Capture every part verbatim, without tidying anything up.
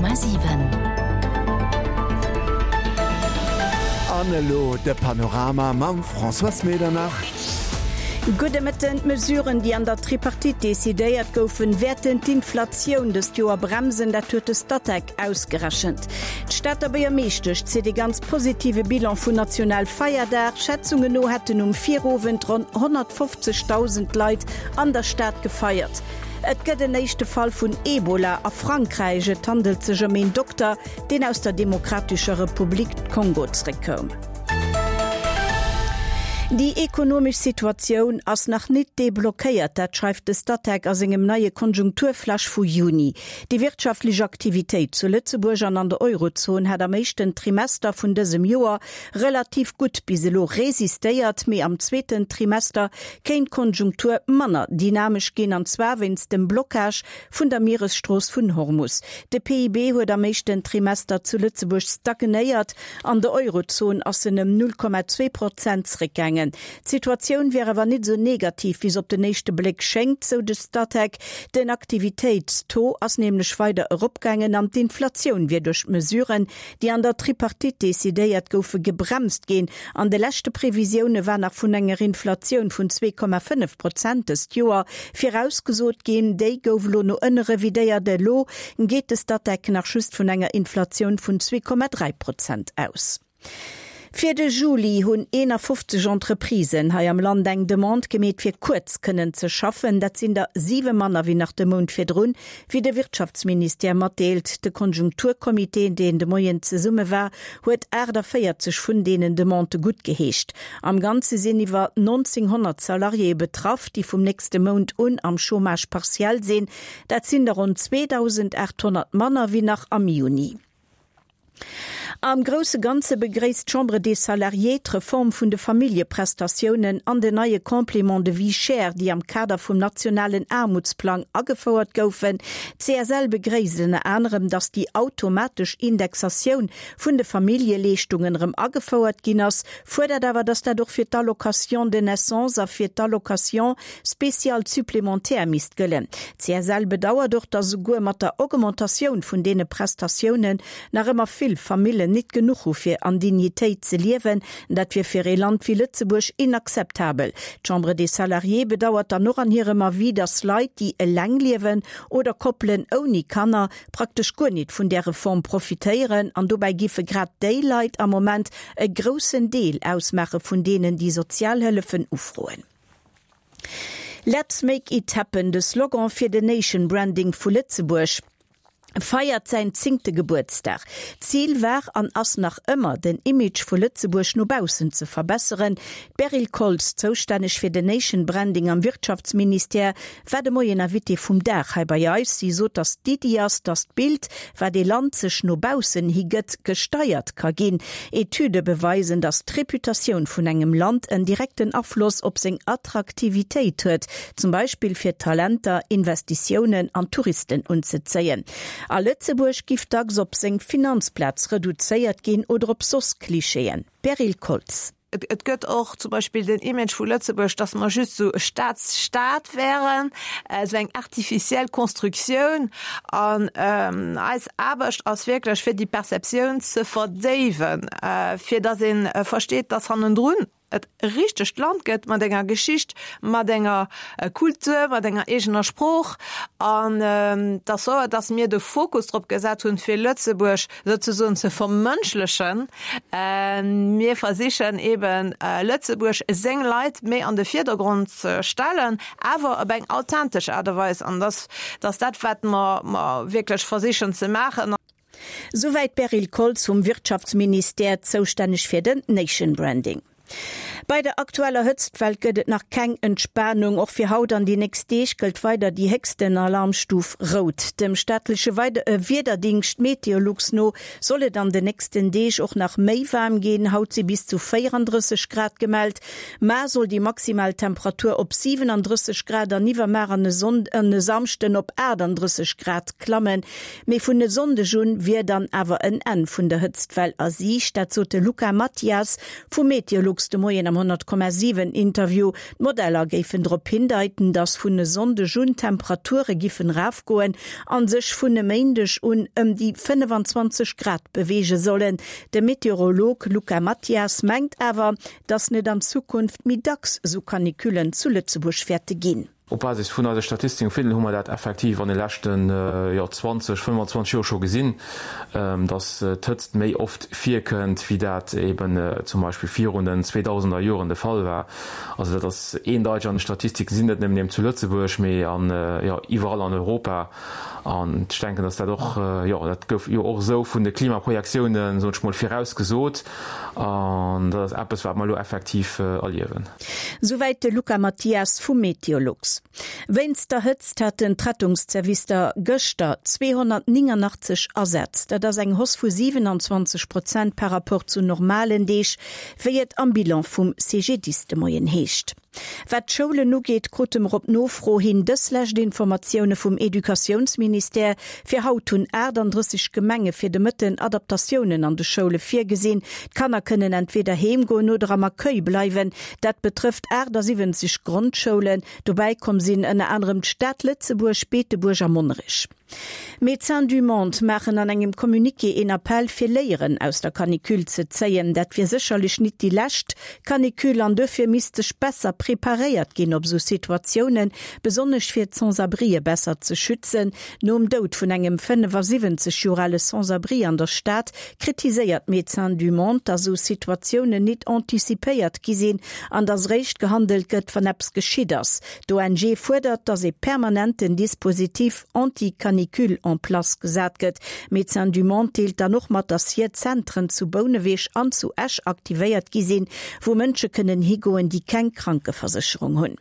Komma siwen. An elo de Panorama mam Françoise Medernach. Gudde Mëtten. D'Mesuren, déi an der Tripartite decidéiert goufen, wäerten d'Inflatioun dëst Joer bremsen, dat huet de Statec ausgerechent. D'Stater Buergermeeschtesch zitt e ganz positive Bilan vun Nationalfeierdag. Schätzungen no hätten um Virowend ronn honnertfofzegdausend Leit an der Stad gefeiert. Et gëtt en éischte Fall vun Ebola a Frankräich. Et handelt sech ëm een Dokter, deen aus der Demokratescher Republik Kongo zréckkoum. Déi ekonomesch Situatioun ass nach nit deblockéiert, dat schreift de Statec a sengem neie Konjunkturflash vu Juni. Déi wirtschaftlech Aktivitéit zu Lëtzebuerg an an der Eurozon hätt am éischten Trimester vun dësem Joer relativ gutt bis elo resistéiert, mee am zweeten Trimester kéint d'Konjunktur manner dynamesch ginn, an zwar wéinst dem Blockage vun der Mieresstrooss vun Hormus. De P I B huet am éischten Trimester zu Lëtzebuerg stagnéiert, an der Eurozon ass en ëm null Komma zwee Prozent zréckgaangen. D'Situatioun wier awer nit esou negativ, wéi se op den éischte Bléck schéngt, sou de Statec. Den Aktivitéitstaux ass nämlech weider eropgaangen an d'Inflatioun wier duerch d'Mesuren, déi an der Tripartite decidéiert goufen, gebremst ginn. An de leschte Previsioune war nach vun enger Inflatioun vun zwee Komma fënnef Prozent dëst Joer virausgesot ginn. Déi gouf elo no ënne revidéiert. Elo geet de Statec nach just vun enger Inflatioun vun zwee Komma dräi Prozent aus. Fir de Juli hunn eenafofzeg Entreprisen hei am Land eng Demande gemeet, fir kuerz kënnen ze schaffen. Dat sinn der siwe manner wéi nach de Mount virdrun, wéi de Wirtschaftsministère matdeelt. De Konjunkturcomité, deen de Moien zesumme war, huet aachtavéierzeg vun deenen Demandë guttgeheescht. Am Ganze sinn iwwer nonzénghonnert Salariéë betraff, déi vum nächste Mount un am Chômage partiel sinn. Dat sinn der ronn zweedausendachthonnert manner wéi nach am Juni. Am grousse Ganze begréisst d'Chambre des Salariés d'Reform vun de Familljeprestatiounen an den neie Complément de vie chère, déi am Kader vum nationalen Aarmutsplang agefouert goufen. D' C S L begréisst ënner anerem, datt déi automatesch Indexatioun vun de Familljeleeschtungen erëm agefouert ginn ass, fuerdert awer, datt dat och fir d'Allocation de naissance a fir d'Allocation spéciale supplémentaire misst gëllen. D' C S L bedauert och, datt esouguer mat der Augmentatioun vun deene Prestatiounen nach ëmmer vill Famillen nit genuch hu fir an Dignitéit ze liewen. Dat wier fir ee Land wéi Lëtzebuerg inakzeptabel. D'Chambre des Salariés bedauert dann och an hirem Avis, datt Leit, déi eleng liewen oder Koppelen ouni Kanner, praktesch guer nit vun där Reform profitéieren an dobäi giffe grad déi Leit am Moment e groussen Deel ausmaache vun deenen, déi Sozialhëllefen ufroen. Let's make it happen, de Slogan fir den Nation Branding vu Lëtzebuerg feiert säin zéngte Gebuertsdag. D'Zil war an ass nach ëmmer, den Image vu Lëtzebuerg no baussen ze verbesseren. D'Beryl Koltz, zoustänneg fir den Nation Branding am Wirtschaftsministère, war de Moien Invitée vum Dag hei bei eis. Si sot, datt d'Iddi ass, datt d'Bild, wat ee Land sech no baussen hi gëtt, gesteiert ka ginn. Etüde beweisen, datt d'Reputatioun vun engem Land en direkten Afloss op seng Attraktivitéit huet, zum Beispill fir Talenter, Investitiounen an Touristen unzezéien. A Lëtzebuerg giff dacks op seng Finanzplaz reduzéiert ginn oder op soss Klischeeën. Beryl Koltz. Et gëtt och zum Beispill den Image vu Lëtzebuerg, dass mer just esou e Staatsstaat wären, esou eng artificiell Konstruktioun. An eis Aarbecht ass wierklech, fir déi Perceptioun ze verdéiwen, fir dass ee versteet, dass hannendrun et e richtegt Land gëtt mat enger Geschicht, mat enger Kultur, mat enger eegener Sprooch. An et ass wouer, dass mir de Fokus drop gesat hunn, fir Lëtzebuerg souzesoen ze vermënschlechen. Mir versichen eeben, Lëtzebuerg, seng Leit méi an de Virdergrond ze stellen, awer op eng authentesch Aart a Weis. An dass ass dat, wat mer wierklech versichen ze maachen. Souwäit d'Beryl Koltz vum Wirtschaftsministère, zoustänneg fir den Nation Branding. Bei der aktueller Hëtztwell gëtt et nach keng Entspanung. Och fir haut an déi nächst Deeg gëllt weider déi héchsten Alarmstuf rout. Dem staatleche Wiederdéngscht Meteolux no soll et an den nächsten Deeg och nach méi waarm ginn. Haut si bis zu véierandrësseg Grad gemellt. Mar soll déi maximal Temperatur op siwenandrësseg Grad an iwwermar an e Samschden op achtandrësseg Grad klammen. Mee vun e Sonndeg un wier dann awer en Enn vun der Hëtztwell a Siicht. Dat sot de Luca Mathias vu Meteolux. Meteolux de Moien am honnert Komma siwen Interview. D'Modeller géifen drop hindeiten, dass vun e Sonndeg un d'Temperature giffen erafgoen an sech vun e Méindeg un ëm déi fënnefenzwanzeg Grad beweege sollen. De Meteorolog Luca Mathias mengt awer, dass net an Zukunft méi dacks esou Canicullen zu Lëtzebuerg wäerte ginn. Op Basis vun eise Statistiken hu mer dat effektiv an de leschten, jo, zwanzeg, fënnfanzwanzeg Joer scho gesinn, dass d'Hëtzt méi oft virkënnt, wéi dat eben zum Beispill virun den zweedausender Joren de Fall war. Also dat ass eendeiteg an de Statistiken, sinn net nëmmen eben zu Lëtzebuerg, mee an, jo, iwwerall an Europa. An ech denken, dass dat och, jo, dat gouf jo och esou vun de Klimaprojektiounen, soen ech mol, virausgesot. An dat ass eppes, wat mer elo effektiv erliewen. Souwäit de Luca Mathias vu Meteolux. Wéinst der Hëtzt haten d'Rettungszervister gëschter zweehonnertnéngangachtzeg Asätz. Dat ass eng Hausse vu siwenanzwanzeg Prozent par Rapport zu normalen Deeg, wéi et am Bilan vum C G D I S de Moien heescht. Wat d'Schoulen ugeet, krute mer op Nofro hin dës lescht Informatioune vum Educatiounsministère, Fir haut hunn aachtanddrësseg Gemenge fir de Mëtten Adaptatiounen an de Schoule virgesinn. D'Kanner kënnen entweder heem goen oder am Accueil bleiwen. Dat betrëfft achtasiwwenzeg Grondschoulen. Dobäi komm sinn ënner anerem d'Stad Lëtzebuerg, Beetebuerg a Monnerech. Médecins du Monde maachen an engem Communiqué een Appell fir Léieren aus der Canicule ze zéien. Dat wier sécherlech nit déi lescht Canicule an dofir misst sech besser preparéiert ginn op sou Situatiounen, besonnesch fir d'Sans-abrië besser ze schützen. Nom Doud vun engem fënnefasiwwenzeg Joer ale Sans-abri an der Stad kritiséiert Médecins du Monde, datt sou Situatiounen nit anticipéiert gi sinn an datt réischt gehandelt gëtt, wann eppes geschitt ass. D'O N G fuerdert, datt ee permanenten Dispositif anti-canicule en place gesat gëtt. Médecins du Monde deelt dann och mat, datt hir Zentren zu Bouneweg an zu Esch aktivéiert gi sinn, wou Mënsche kënnen higoen, déi keng Krankeversécherung hunn.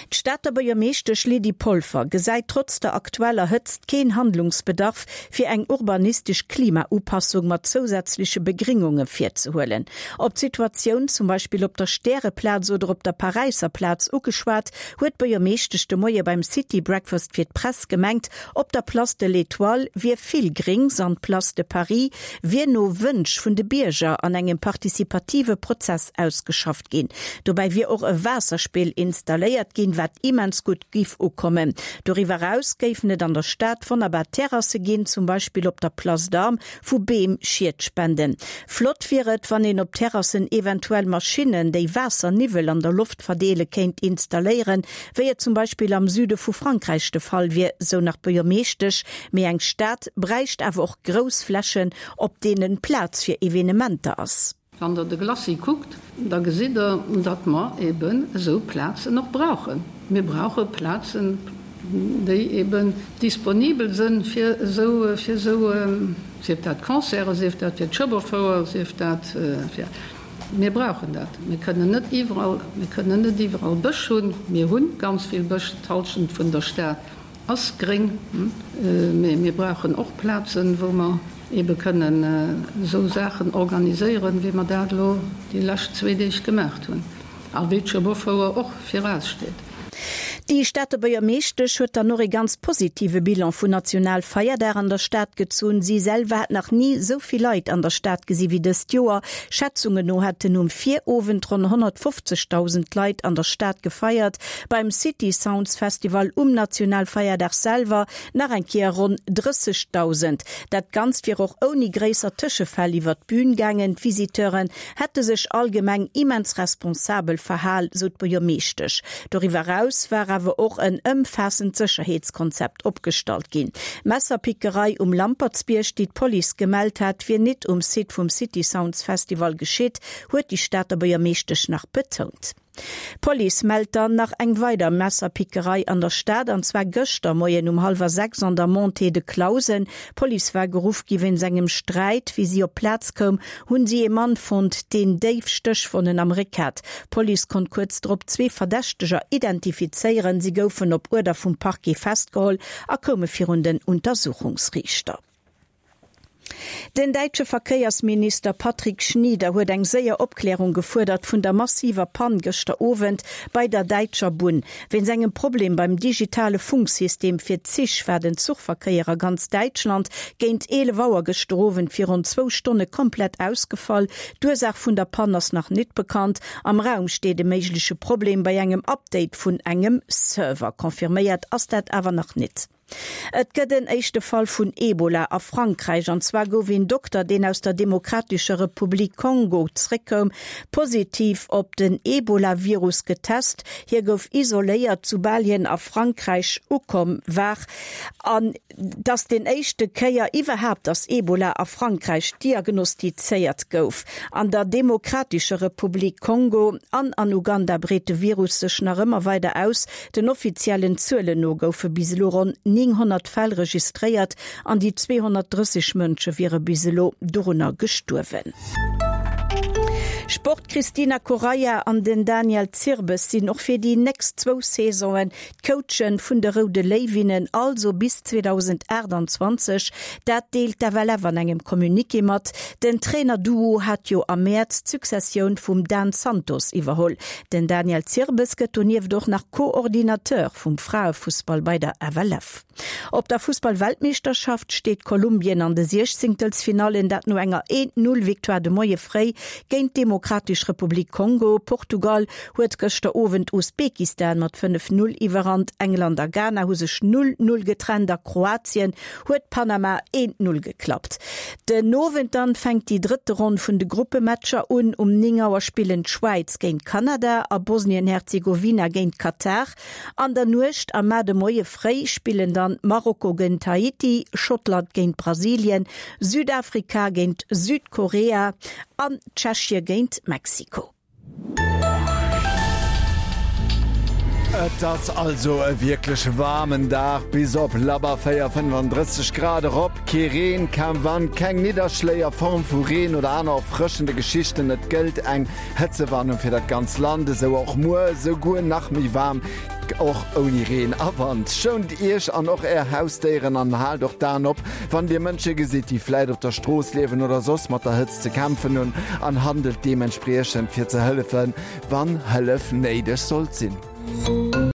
D'Stater Buergermeeschtesch Lydie Polfer gesäit trotz der aktueller Hëtzt keen Handlungsbedarf, fir eng urbanistesch Klimaupassung mat zousätzleche Begringunge virzehuelen. Op d'Situatioun zum Beispill op der Stäreplaz oder op der Paräisser Plaz ugeschwat, huet d'Buergermeeschtesch de Moie beim City Breakfast fir d'Press gemengt, op der Place de l'Étoile wier vill Grings an d'Place de Paris wier no Wënsch vun de Bierger an engem participative Prozess ausgeschafft ginn. Dobäi wier och e Waasserspill installéiert ginn, wat immens gutt giff ukommen. Doriwwer eraus géifen et an der Stad wonnerbar Terrasse ginn, zum Beispill op der Place d'Armes, wou Beem Schied spenden. Flott wier et, wann een op Terrassen eventuell Maschinnen, déi Waasserniwwel an der Loft verdeele kéint installéieren, wéi et zum Beispill am Süde vu Frankräich de Fall wier, sou nach d'Buergermeeschtesch. Mee eng Stad bräicht awer och grouss Flächen, op deenen Plaz fir Evenementer ass. Wann Der de Glacis kuckt, da gesitt Der, datt mer eben esou Plazen och brauchen. Mir brauche Plazen, déi eben disponibel sënn fir esou, fir esou, sief dat Concerten, sief dat fir d'Schueberfouer, sief dat fir, mir brauchen dat. Mir kënnen net iwwerall, mir kënnen net iwwerall Bësch hunn. Mir hu ganz vill Bësch, d'Hallschent vun der Stad ass gréng, mee mir brauchen och Plazen, wou mer ebe kënnen esou Saachen organiséieren, wéi mer dat elo déi lescht zwee Deeg gemaacht hunn a wéi d'Schueberfouer och viraussteet. Déi Stater Buergermeeschtesch huet dann och e ganz positive Bilan vun Nationalfeierdag an der Stad gezunn. Si selwer hätt nach ni esou vill Leit an der Stad gesi wéi dëst Joer. Schätzungen no hätten um Virowend ronn honnertfofzegdausend Leit an der Stad gefeiert. Beim City Sounds Festival um Nationalfeierdag selwer nach eng Kéier ronn drëssegdausend. Dat Ganzt wier och ouni gréisser Tëschefäll iwwer d'Bün gaangen. D'Visiteuren hätte sech allgemeng immens responsabel verhal, sou d'Buergermeeschtesch. Doriwwer eraus war awer och en ëmfaassend Sécherheetskonzept opgestallt ginn. D'Messerpickerei um Lampertsbierg, déi d'Police gemellt hat, wier nit um Site vum City Sounds Festival geschitt, huet déi Stater Buergermeeschtesch nach betount. D'Police mellt dann nach eng weider Messerpickerei an der Stad, an zwar gëschter Moien um hallwer sechs an der Montée de Clausen. D'Police war geruff gi wéinst engem Sträit. Wéi si op d'Plaz koum, hunn si ee Mann fonnt, deen déif Stéchwonnen am Réck hat. D'Police konnt kuerz drop zwee Verdächteger identifizéieren. Si goufen op Uerder vum Parquet festgeholl a koume virun den Untersuchungsriichter. Den däitsche Verkéiersminister Patrick Schnieder huet eng séier Opklärung gefuerdert vun der massiver Pann gëschter Owend bei der däitscher Bunn. Wéinst engem Problem beim digitale Funksystem fir d'Zich war den Zuchverkéier a ganz Däitschland géint eelef Auer gëschter Owend fir ronn zwou Stonne komplett ausgefall. D'Ursaach vun der Pann ass nach net bekannt. Am Raum steet e méigleche Problem bei engem Update vun engem Server. Confirméiert ass dat awer nach net. Et gëtt en éischte Fall vun Ebola a Frankräich. An zwar gouf een Dokter, deen aus der Demokratescher Republik Kongo zréckkoum, positiv op den Ebola-Virus getest. Hie gouf isoléiert, soubal hien a Frankräich ukomm war. An et ass déi éischte Kéier iwwerhaapt, dass Ebola a Frankräich diagnostizéiert gouf. An der Demokratescher Republik Kongo an an Uganda breet de Virus sech nach ëmmer weider aus. Den offiziellen Zuelen no goufe bis elo ronn nénghonnert Fäll registréiert an déi zweehonnertdrësseg Mënsche wiere bis elo dorunner gestuerwen. Sport, D'Cristina Correia an den Daniel Zirbes sinn och fir déi nächst zwou Saisonen d'Coache vun de Roude Léiwinnen, also bis zweedausendachtanzwanzeg. Dat deelt d'F L F an engem Communiqué mat. Den Trainer-Duo hat jo am Mäerz d'Successioun vum Dan Santos iwwerholl. Den Daniel Zirbes gëtt donieft och nach Coordinateur vum Fraefussball bei der F L F. Op der Fussball-Weltmeeschterschaft steet Kolumbien an de Siechzéngtelsfinallen, dat no enger een-Null-Victoire de Moie fréi géint d'Demokratesch Republik Kongo. Portugal huet gëschter Owend Usbekistan mat fënnef-Null iwwerrannt, England a Ghana hu sech null-null getrennt a Kroatien huet Panama een-Null geklappt. Den Owend dann fänkt déi drëtte Ronn vun de Gruppematcher un. Um néng Auer spillen d'Schwäiz géint Kanada a Bosnien-Herzegowina géint Katar. An der Nuecht a mar de Moie fréi spillen dann Marokko géint Haiti, Schottland géint Brasilien, Südafrika géint Südkorea an Tschechie géint Mexiko. Et ass also e wierklech waarmen Dag, bis op labber véier, fënnefandrësseg Grad erop. Kee Reen, kaum Wand, keng Nidderschléi a Form vu Reen oder aner erfrëschende Geschichten. Et gëllt eng Hëtzewarnung fir dat ganz Land, esou och muer, esouguer nach méi waarm, och ouni Reen a Wand. Schount Iech an och Är Hausdéieren an haalt och d'Aen op, wann Dir Mënsche gesitt, déi vläit op der Strooss liewen oder soss mat der Hëtzt ze kämpfen hunn, an handelt deementspriechend fir ze hëllefen, wann Hëllef néideg sollt sinn.